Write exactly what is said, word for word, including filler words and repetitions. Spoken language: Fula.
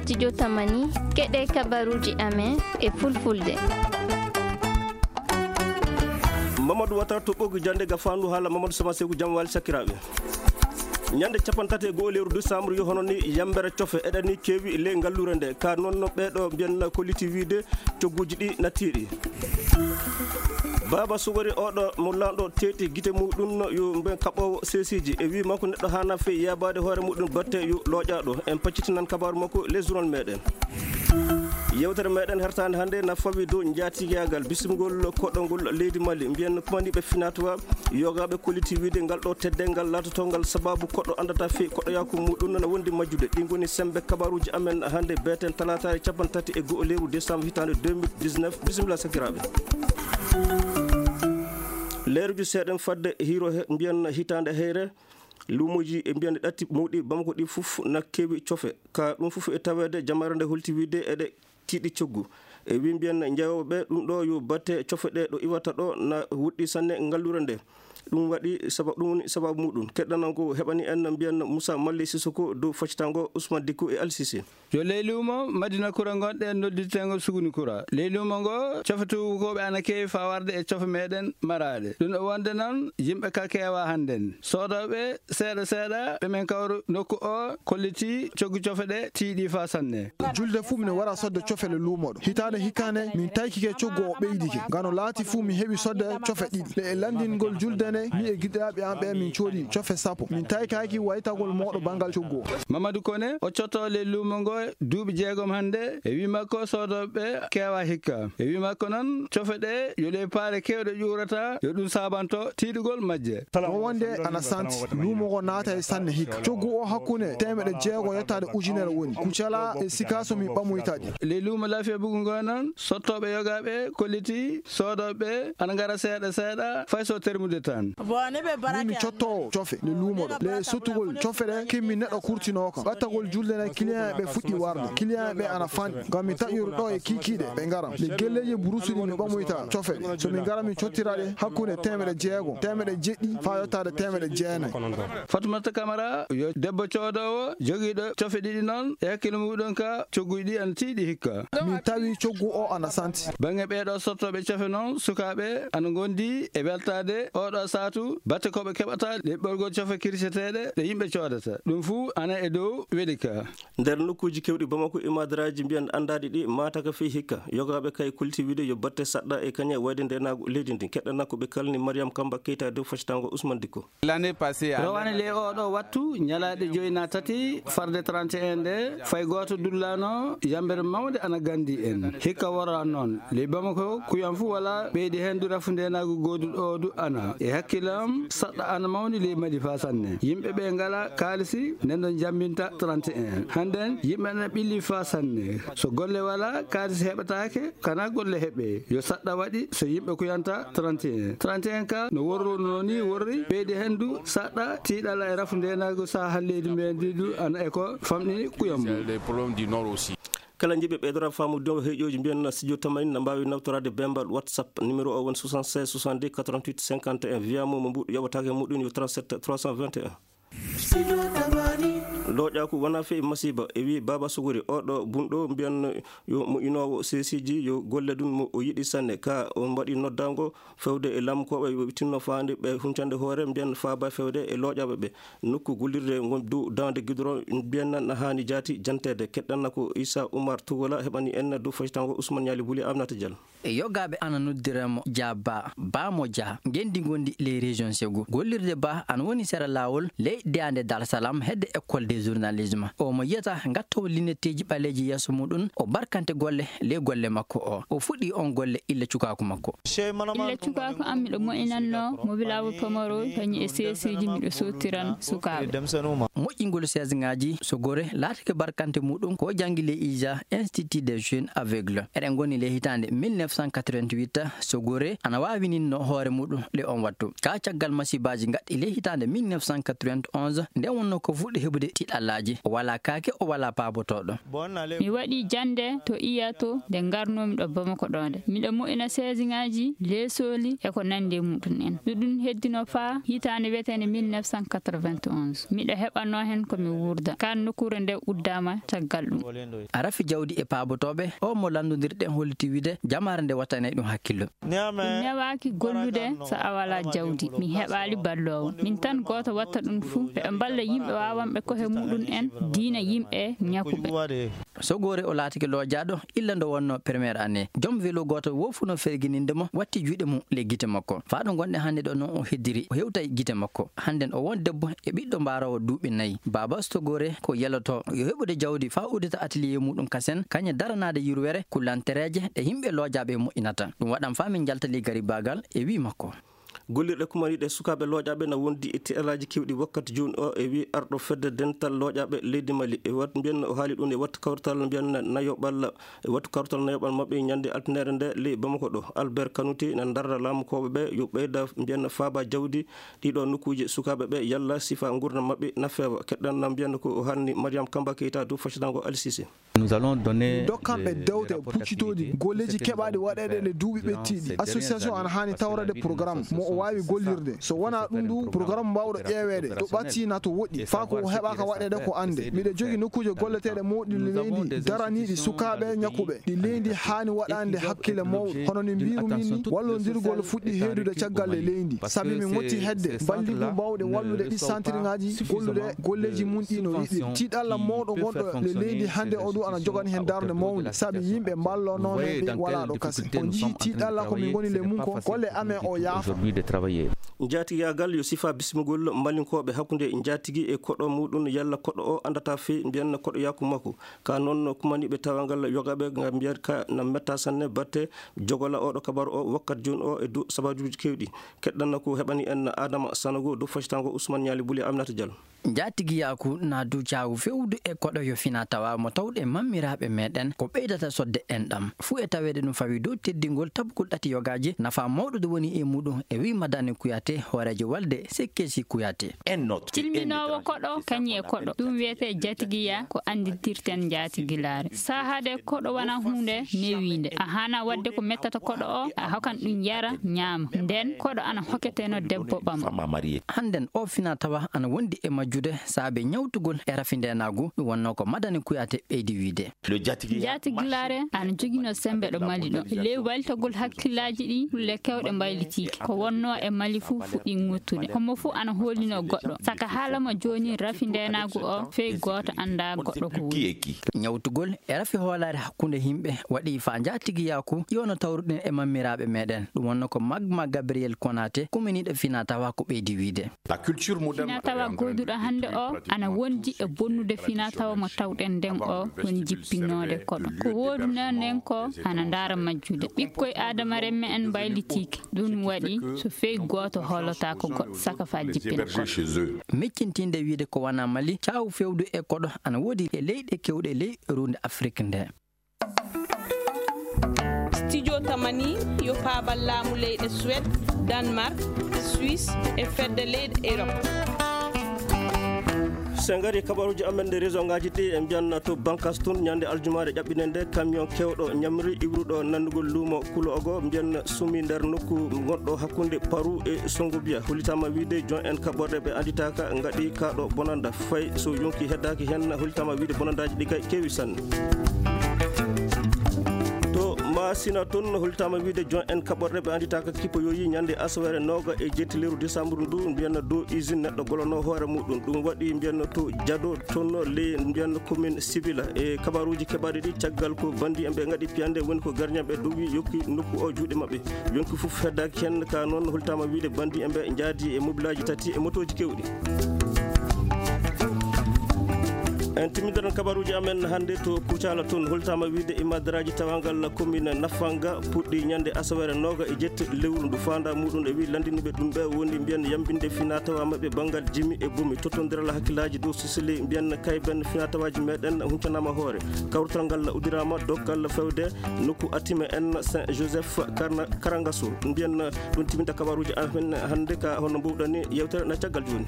Studio Tamani, keɗe kabaruuji amen e fulfulde. Mamadou Watara to ɓoggi jannde ga faandu haala Mamadou Sama Seku, jam wali sakiraaɓe. Ñande capanɗe tati e go'o lewru décembre yo hono ni yambere cofe eɗani kewi ley ngallure nde. Ka noon no ɓeeɗo mbiyanna kolliti wiide cogguuji ɗi nattiiɗi. Baaba Sugori oɗo mo lanɗo teeti gite muɗum yo mben kaɓɓoowo seesiiji. E wii makko neɗɗo haana fey yaabaade hoore muɗum batte yo looƴaaɗo. En paccitinan kabaaru makko les journal meɗen. Yewtere meɗen hertaande hannde na fawi dow njaatigaagal bismgol koɗol ngol leydi Mali. Mbiyen kumaniiɓe finatuwa yogaaɓe kolliti wiide ngal ɗo teddeengal laatotongal sababu koɗo anndata fey koɗoyaaku muɗum nana wondi majjude. Ɗi ngoni sembe kabaaruuji amen hannde beeten talaataare capanɗe tati e go'o lewru décembre hitaande deux mille dix-neuf. Bisimilla sakiraaɓe. Leeruji seeɗen fadde hiiro he mbiyen hitaande heyre. Luumoji e mbiyen ɗatti mawɗi Bamako ɗi fof na kewi cofe. Ka ɗum fof e taweede jamaare nde holti wiide eɗe tiiɗi coggu. E wi mbiyen jeeyooɓe ɓe ɗum ɗo yo batte cofe ɗe ɗo iwata ɗo na woɗɗi sanne ngallure nde. Ɗum waɗi saba-, ɗum woni sababu muɗum. Keɗɗanan ko heɓani en mbiyen Moussa Mali Sissoko dow faccitango Ousmane Dicko e Al Cissé. Yo ley luumo Madina Kura ngonɗen nodditeengo Suguni Kura. Ley luumo ngo, cofe tuubukooɓe ana keewi faa warde e cofe meɗen maraaɗe. Ɗum ɗo wonde noon, yimɓe ka keewaa hannden. Soodooɓe seeɗa seeɗa ɓe men kawru nokku o kolliti coggu cofe ɗe tiiɗi faa sanne. Julde fuu mino wara sodde cofe le luumo ɗo. Hitaande hikkaande, min taykike coggu o ɓeydike. Ngano laati fuu mi heɓi sodde cofe ɗiɗi. Le e lanndingol julde nde, mi e giɗiraaɓe am ɓe min coodi cofe sappo. Min taykaaki waytagol mooɗo banngal coggu o. Mamadou Kone, o cotto le luumo ngo duuɓi jeegom hannde, e wi makko soodooɓe keewa hikka. E wi makko noon, cofe ɗe yo ɗe paare keewɗe ƴuurata, yo ɗum saabanto tiiɗugol majje. Ko wonde ana santi, luumo ngo naata e sanne hikka. Coggu o hakkunde teemeɗe jeego yettaade ujunere woni. Kucala e sika so mi ɓamoyta ɗi. Le luumo Lafiya Bugu ngo noon, sottooɓe yogaaɓe kolliti soodooɓe ana ngara seeɗa seeɗa, fay so termude tan. Min mi cottoowo cofe le luumo ɗo. Le sottugol cofe ɗe kimmi neɗɗo kurtinoo kam. Ɓattagol julde nde client ɓe fuɗɗi warde. Client ɓe ana fanɗi. Ngam mi taƴoru ɗo e kiikiiɗe ɓe ngaram. Le gelleeji burusiri mi ɓamoyta cofe ɗe. So mi ngara mi cottira ɗe hakkunde teemeɗe jeego, teemeɗe jeɗɗi faa yottaade teemeɗe jeenayi. Fatoumata Camara yo debbo coodoowo jogiiɗo cofe ɗiɗi noon e hakkille muɗum ka cogguji ɗi ana tiiɗi hikka. Min tawi coggu o ana santi. Baŋnge ɓeeɗo sottooɓe cofe noon, sukaaɓe ana ngondi e weltaade oɗo saatu batte ko ɓe keɓata ɗeɓɓorgol cofe kirseteeɗe ɗe yimɓe coodata. Ɗum fuu ana e dow weli ka. Nder nokkuuji keewɗi Bamako, imadaraaji mbiyan anndaaɗi ɗi maataka fii hikka. Yogaaɓe kay kulti wiide yo batte saɗɗa e kañe wayde ndeenaagu leydi ndin. Keɗɗana ko ɓe kalni Mariam Kamba Keita dow faccitango Ousmane Dicko. Rowane le oɗo wattu, ñalaaɗe joyi na tati, farde trente et un nde, fay gooto dullaano, yambere mawnde ana gandi en. Hikka wora noon, ley Bamako, kuyan fuu wala, ɓeydi heen du rafu ndeenaagu gooduɗo o du ana. E hakkille am, saɗɗa ana mawni ley Mali faa sanne. Yimɓe ɓe ngala kaalisi, nden ɗon jambinta trente et un. Hannden, yimɓe ana ɓilli faa sanne. So golle wala, kaalisi heɓataake, kana golle heɓe. Yo saɗɗa waɗi so yimɓe kuyanta trente et un. Trente et un ka no worruno ni worri, ɓeydi heen du saɗɗa tiiɗalla e rafu ndeenaagu saha leydi men ndi du ana e ko famɗini kuyam mum. Kala jiɗɓe ɓeydora faamu dow heƴooji mbiyan na studio Tamani na mbaawi nawtoraade bembal WhatsApp. Numéro o woni soixante-seize soixante-deux quatre-vingt-huit cinquante et un. Via mo mo mbuɗo yoɓataake muɗum yo trente-sept trois cent vingt et un. Looƴaaku wonaa fii masiiba, e wii Baaba Suguri, oo ɗoo bunɗo mbiyan yo mo inoowo seesiiji, yo golle ɗum mo o yiɗi sanne. Ka o mbaɗi noddaango fewde e laamkooɓe, yo ɓe tinno faande ɓe huncande hoore, mbiyan faaba fewde e looƴaaɓe ɓe. Nokku gollirde ngon dow daande gidoro, mbiyan na haani jaati janteede. Keɗɗanna ko Issa Oumar Tougoula heɓani en dow faytango Ousmane Nialy Bouli Aminata Diallo. E yogaaɓe ana noddira mo Dia Ba, Ba mo Dia, ngenndi ngondi ley région Ségou. Gollirde Ba ana woni sera laawol ley deyaande Dar Salam hedde école de journalisme. O mo yiyata ngattowo linetteeji ɓaleeji yeeso muɗum, o barkante golle ley golle makko o. O fuɗɗi on golle illa cukaaku makko. Illa cukaaku am miɗo moƴƴinannoo mobilaabu pamaro kañum e seesiiji miɗo sottiran sukaaɓe. Moƴƴingol seesŋaaji so gore laatake barkante muɗum ko janngi ley IJA, Institut des Jeunes Aveugles. Eɗen ngoni ley hitaande mille neuf cent cent quatre-vingt-huit, Sogore ana waawininno hoore muɗum le on wattu. Ka caggal masibaaji gaɗɗi le hitaande mille neuf cent quatre-vingt-onze, nde wonno ko fuɗɗi heɓude tiɗallaaji. O walaa kaake, o walaa paabotooɗo. Mi waɗi jannde to Iya to nde ngarnoomi ɗo Bamako ɗo nde. Miɗo mo'ina seesiŋaaji, leesooli e ko nanndi e muɗum en. Ɗuɗum heddino faa hitaande wiyeteende mille neuf cent quatre-vingt-onze. Miɗo heɓanoo heen ko mi wuurda. Kaan nokkuure nde uddaama caggal ɗum. A rafi jawdi e paabotooɓe, o mo lanndondirɗen holliti wiide jamaare nde wattanay ɗum hakkillo. Mi newaaki gollude so a walaa jawdi. Mi heɓaali balloowo. Min tan gooto watta ɗum fuu. Ɓe mballa yimɓe waawanɓe kohe muɗum en, diina yimɓe ñakuɓe. Sogore o laatike loojaaɗo illa ndo wonno première année. Joom velo gooto wo fuu no fergininde mo, watti juuɗe mum le gite makko. Faa ɗo ngonɗen hannde ɗo noon o heddiri, o hewtay gite makko. Hannden o won debbo e ɓiɗɗo mbaaroowo duuɓi nayi. Baaba Sogore ko yeloto yo heɓude jawdi faa uddita atelier muɗum kasen, kañe daranaade yurwere, kullantereeje ɗe yimɓe loojaaɓe moƴƴinata. Ɗum waɗan faa min njaltali garibagal e wii makko. Gollirɗe kumaniiɗe sukaaɓe looƴaaɓe na wondi e tiɗalaaji keewɗi wakkati jooni o, e wii arɗo fedde dental looƴaaɓe leydi Mali. E wat-, mbiyen o haali ɗum e wattu kawrital mbiyen nayoɓal, e wattu kawrital nayoɓal maɓɓe ñande altine nde ley Bamako ɗo. Albert Kanouté na darra laamukooɓe ɓe yo ɓeyda mbiyen faaba jawdi ɗiɗo nokkuuji sukaaɓe ɓe yalla sifa nguurndam maɓɓe na feewa. Keɗɗan na mbiyen ko o haalni Mariam Kamba Keita dow faccitaango Ali Cissé. Min dokkan ɓe dewte puccitooɗi golleeji keɓaaɗi waɗeede ɗe duuɓi ɓettiiɗi. Association ana haani tawreede programme mo o waawi gollirde. So wonaa ɗum du, programme mbaawɗo ƴeeweede to ɓattii na to woɗɗi, faa ko o heɓaaka waɗeede ko annde. Miɗo jogii nokkuuje golleteeɗe mawɗi leydi daraniiɗi sukaaɓe ñakuɓe. Ɗi leydi haani waɗande hakkille mawɗo. Hono ni mbiirumi ni, wallondirgol fuɗɗi heedude caggal e leydi. Sabi min moƴƴi hedde balligu mbawɗe wallude ɗi santirŋaaji gollude golleeji mum ɗi no yiɗiri. Tiiɗalla mawɗo gonɗo le leydi hannde o du ana jogani heen darnde mawnde. Sabi yimɓe mballonooɓe ɓe walaa ɗo kasen. On njii tiiɗalla ko min ngoni le mum ko golle amen o yaafa. Njaatigaagal yo sifa bismigol malinkooɓe hakkunde njaatigi e koɗo muɗum yalla koɗo o anndata fii mbiyen koɗo yaaku makko. Ka noon kumaniiɓe tawangal yogaɓe ngam mbiyat ka na metta sanne batte jogola oɗo kabaru o wakkati jooni o e dow sababuuji keewɗi. Keɗɗanna ko heɓani en Adama Sanogo dow faccitaango Ousmane Ñaali Buli Aminata Diallo. Njaatigiyaaku na dow caawu fewdu e koɗo yo fina tawa mo tawɗe mammiraaɓe meɗen ko ɓeydata sodde enɗam. Fuu e taweede ɗum fawi dow teddingol tabugol ɗati yogaaji nafa mawɗo do woni e muɗum e wi Madani Kuyate hooreejo walde Sekkesi Kuyate. Cilminoowo koɗo kañum e koɗo, ɗum wiyetee jatigiya, ko annditirten njaatigilaare. Saahaade koɗo wonaa huunde newiinde. A haanaa waɗde ko mettata koɗo o, a hokan ɗum yara, ñaama. Nden koɗo ana hoketeno debbo ɓama. Hannden o fina tawa ana wondi e majjude saabe ñawtugol e rafi ndeenaagu, ɗum wonnoo ko Madani Kuyate ɓeydi wiide. Njaatigilaare ana joginoo semmbe ɗo Mali ɗo. E ley waytagol hakkillaaji ɗi, kulle kewɗe mbaylitiike. Ko wonnoo e Mali fuu fuɗɗii ŋuttude. Homo fuu ana hoolinoo goɗɗo. Saka haala mo jooni rafi ndeenaagu o, fey gooto anndaa goɗɗo ko woni. Ñawtugol e rafi hoolaare hakkunde yimɓe waɗi faa njaatigiyaaku iwano tawruɗen e mammiraaɓe meɗen. Ɗum wonnoo ko Magma Gabriel Konate, kuminiiɗo fina tawa ko ɓeydi wiide. Fina tawa gooduɗo hannde o ana wondi e bonnude fina tawa mo tawɗen nden o woni jippinnoode koɗo. Ko woodunoo nden ko ana ndaara majjude. Ɓikkoy aadama remme en mbaylitiike. Ɗum waɗi so fey gooto hoolotaako goɗɗo saka faa jippina koɗo. Miccintinde wiide ko wonaa Mali, caawu fewdu e koɗo ana woodi e leyɗe kewɗe ley ruunde Afrik nde. Studio Tamani yo paabal laamu leyɗe Suède, Danemark, Suisse e fedde leyɗe Europe. So en ngarii kabaruuji amen nde région ngaaji ɗi, en mbiyan to Bankas tun, ñande aljumaare ƴaɓɓinde nde, camion kewɗo ñamri iwruɗo nannugol luumo Kulo Ogo, mbiyan sumi nder nokku gonɗo hakkunde Paru e Songobiya. Hollitaama wiide jon en kaɓorɗe ɓe annditaaka ngaɗi kaaɗo bonanda. Fay so yonki heddaaki heen, hollitaama wiide bonandaaji ɗi kay keewi sanne. To Masina toon, hollitaama wiide jon en kaɓorɗe ɓe annditaaka kippoyoyi ñande asaweere nooga e jetti lewru décembre ndu, mbiyanna dow usine neɗɗo golano hoore muɗum. Ɗum waɗi mbiyanna to Jado toon, ley mbiyanna commune Sibila. E kabaruuji keɓaaɗi ɗi, caggal ko bandi en ɓe ngaɗi piyande, woni ko gardien ɓe dowi yokki nokku o juuɗe maɓɓe. Yonki fof heddaaki heen, ka noon hollitaama wiide bandi en ɓe njaadi e mobilaaji tati e motooji kewɗi. Timmindiral kabaruuji amen hannde to Kucala, toon holtaama wiyde imadaraaji tawangal commune Nafanga puɗɗi ñande asaweere nooga e jetti lewru ndu. Faandaa muɗum e wi lanndiniiɓe ɗum ɓe woni mbiyen yambinde finaa tawaa maɓɓe banngal jimi e bumi. Tottondiral hakkillaaji dow Sicili mbiyen kayben finaa tawaaji meɗen huncanaama hoore. Kawrital ngal uddiraama dokkal fewde nokku Atime en Saint Joseph Karna-, Karangaso. Mbiyen ɗum timminta kabaruuji amen hannde ka hono mbuwɗani yewtere na caggal jooni.